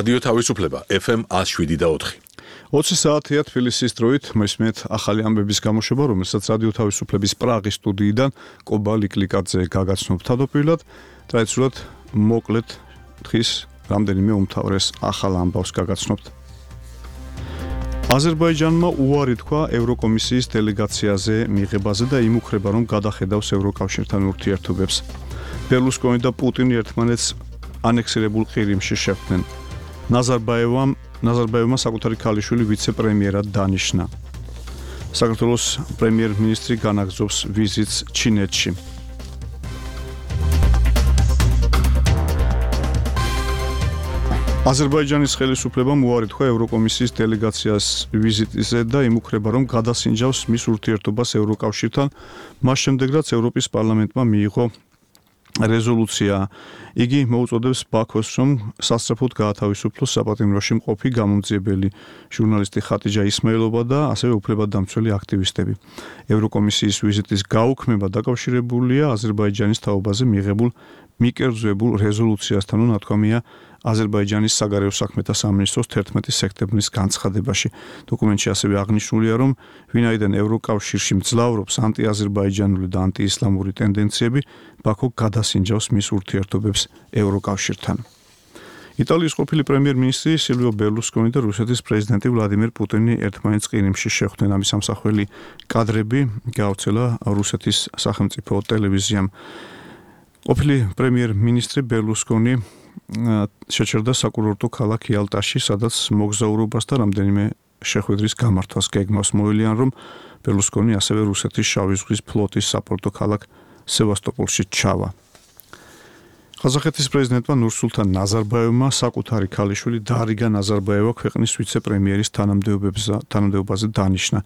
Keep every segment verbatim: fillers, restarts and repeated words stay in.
რადიო თავისუფლება ეფ ემ one oh seven და four. ოცი საათია თბილისის დროით მესმეთ ახალი ამბების გამოშვება, რომელსაც რადიო თავისუფლების პრაღის სტუდიიდან კობა ლიკლიკაძე გაგაცნობ თავდაპირველად. ტრადიციულად მოკლედ დღის რამდენიმე უმთავრეს ახალ ამბავს გაგაცნობთ. აზერბაიჯანმა უარი თქვა ევროკომისიის დელეგაციაზე მიღებაზე და იმუქრება, რომ გადახედავს ევროკავშირთან ურთიერთობებს. ბერლუსკონი და პუტინი ერთმანეთს ანექსირებულ ყირიმში შეხვდნენ. ნაზარბაევამ ნაზარბაევმა საკუთარი ქალიშვილი ვიცე-პრემიერად დანიშნა. საქართველოს პრემიერ-მინისტრი განაგრძობს ვიზიტს ჩინეთში. აზერბაიჯანის ხელისუფლებამ უარი თქვა ევროკომისიის დელეგაციას ვიზიტზე და იმუქრება, რომ გადასინჯავს მის ურთიერთობას ევროკავშირთან, მას შემდეგ რაც ევროპის პარლამენტმა მიიღო რეზოლუცია. იგი მოუწოდებს ბაქოს, რომ სასწრაფოდ გაათავისუფლოს საპატიმროში მყოფი გამომძიებელი ჟურნალისტი ხატიჯა ისმაილოვა და ასევე უფლებადამცველი აქტივისტები. ევროკომისიის ვიზიტის გაუქმება დაკავშირებულია აზერბაიჯანის თაობაზე მიღებულ მიკერძებულ რეზოლუციასთან, ნათქვამია აზერბაიჯანის საგარეო საქმეთა სამინისტროს თერთმეტი სექტემბრის განცხადებაში. დოკუმენტში ასევე აღნიშნულია, რომ ვინაიდან ევროკავშირში მძლავრობს ანტიაზერბაიჯანული და ანტიისლამური ტენდენციები, ბაქო გადასინჯავს მის ურთიერთობებს ევროკავშირთან. იტალიის ყოფილი პრემიერ-მინისტრი სილვიო ბერლუსკონი და რუსეთის პრეზიდენტი ვლადიმერ პუტინი ერთმანეთს ყირიმში შეხვდნენ. ამის ამსახველი კადრები გავრცელა რუსეთის სახელმწიფო ტელევიზიამ. ყოფილი პრემიერ-მინისტრი ბერლუსკონი შეჩერდა საკურორტო ქალაქ იალტაში, სადაც მოგზაურობას და რამდენიმე შეხვედრის გამართვას გეგმავს. მოელიან, რომ ბერლუსკონი ასევე რუსეთის შავი ზღვის ფლოტის საპორტო ქალაქ სევასტოპოლში ჩავა. ყაზახეთის პრეზიდენტმა ნურსულთან ნაზარბაევმა საკუთარი ქალიშვილი დარიგა ნაზარბაევა ქვეყნის ვიცე-პრემიერის თანამდებობაზე დანიშნა.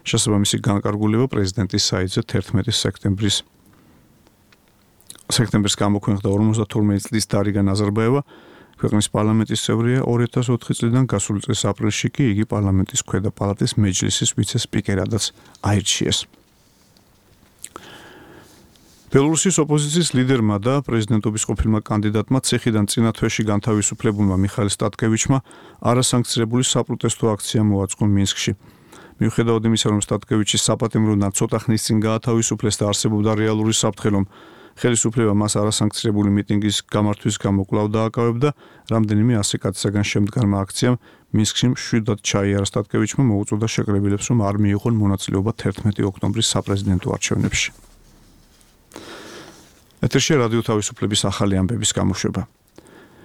შესაბამისი განკარგულება პრეზიდენტის საიტზე თერთმეტი სექტემბრის სექტემბერს გამოქვეყნდა. ორმოცდათორმეტი წლის დარიგა ნაზარბაევა ქვეყნის პარლამენტის წევრია. ორი ათას ოთხი წლიდან გასული წლის აპრილში კი იგი პარლამენტის ქვედა პალატის მეჯლისის ვიცე-სპიკერადაც აირჩიეს. ბელორუსის ოპოზიციის ლიდერმა და პრეზიდენტობის ყოფილმა კანდიდატმა ციხიდან წინა თვეში განთავისუფლებულმა მიხაილ სტატკევიჩმა არასანქცირებული საპროტესტო აქცია მოაწყო მინსკში. მიუხედავად იმისა, რომ სტატკევიჩი საპატიმროდან ცოტა ხნის წინ გაათავისუფლეს და არსებობდა რეალური საფრთხე, რომ ხელისუფლება მას არასანქცირებული მიტინგის გამართვის გამო კვლავ დააკავებდა, რამდენიმე ასი კაცისაგან შემდგარმა აქციამ მინსკში მშვიდად ჩაიარა. სტატკევიჩმა მოუწოდა შეკრებილებს, რომ არ მიიღონ მონაწილეობა თერთმეტი ოქტომბრის საპრეზიდენტო არჩევნებში. ეთერში რადიო თავისუფლების ახალი ამბების გამოშვება.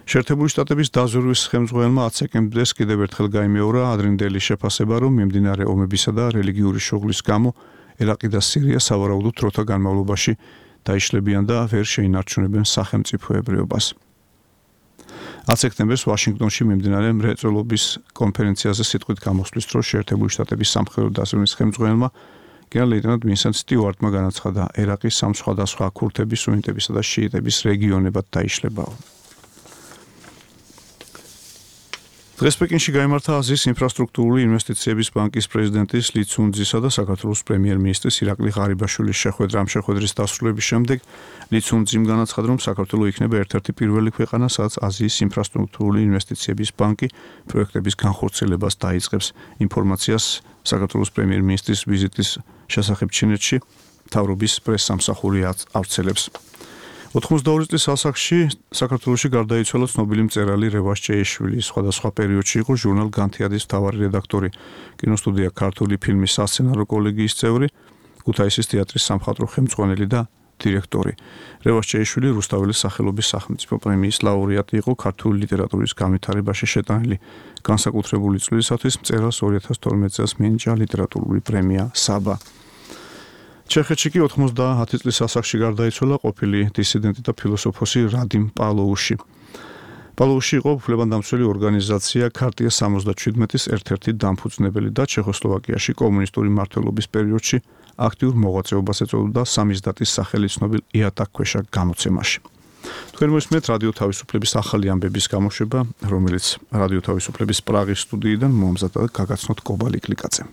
შეერთებული შტატების დაზვერვის ხელმძღვანელმა ათი სექტემბერს კიდევ ერთხელ გაიმეორა ადრინდელი შეფასება, რომ მიმდინარე ომებისა და რელიგიური შუღლის გამო ერაყი და სირია სავარაუდოდ დროთა განმავლობაში დაიშლებიან და ვერ შეინარჩუნებენ სახელმწიფოებრიობას. ათი სექტემბერს ვაშინგტონში მიმდინარე მრეწველობის კონფერენციაზე სიტყვით გამოსვლის დროს შეერთებული შტატების სამხედრო დაზვერვის ხელმძღვანელმა გენერალ-ლეიტენანტ ვინსენტ სტიუარტმა განაცხადა, ერაყი სამ სხვადასხვა ქურთების, სუნიტებისა და შიიტების რეგიონებად დაიშლებაო. დღეს პეკინში გაიმართა აზიის ინფრასტრუქტურული ინვესტიციების ბანკის პრეზიდენტის ალი ცუნძისა და საქართველოს პრემიერ-მინისტრის ირაკლი ღარიბაშვილის შეხვედრა. ამ შეხვედრის დასრულების შემდეგ ალი ცუნძიმ განაცხადა, რომ საქართველო იქნება ერთ-ერთი პირველი ქვეყანა, სადაც აზიის ინფრასტრუქტურული ინვესტიციების ბანკი პროექტების განხორციელებას დაიწყებს. ინფორმაციას საქართველოს პრემიერ-მინისტრის ვიზიტის შესახებ ჩინეთში მთავრობის პრესსამსახური ავრცელებს. ოთხმოცდაორი წლის ასაკში საქართველოში გარდაიცვალა ცნობილი მწერალი რევაზ ჭეიშვილი. სხვადასხვა პერიოდში იყო ჟურნალ განთიადის მთავარი რედაქტორი, კინოსტუდია ქართული ფილმის სასცენარო კოლეგიის წევრი, ქუთაისის თეატრის სამხატვრო ხელმძღვანელი და დირექტორი. რევაზ ჭეიშვილი რუსთაველის სახელობის სახელმწიფო პრემიის ლაურეატი იყო. ქართული ლიტერატურის განვითარებაში შეტანილი განსაკუთრებული წვლილისათვის მწერალს ორი ათას თორმეტი წელს მიენიჭა ლიტერატურული პრემია საბა. ჩეხეთში კი ოთხმოცდაათი წლის ასაკში გარდაიცვალა ყოფილი დისიდენტი და ფილოსოფოსი რადიმ პალოუში. პალოუში იყო უფლებადამცველი ორგანიზაცია ქარტია სამოცდაჩვიდმეტის ერთ-ერთი დამფუძნებელი და ჩეხოსლოვაკიაში კომუნისტური მმართველობის პერიოდში აქტიურ მოღვაწეობას ეწეოდა სამიზდატის სახელი ცნობილ იატაკქვეშა გამოცემაში. თქვენ მოსმენთ რადიო თავისუფლების ახალი ამბების გამოშვება, რომელიც რადიო თავისუფლების პრაღის სტუდიიდან მომზადდა და გაგაცნოთ კობა ლიკლიკაძემ.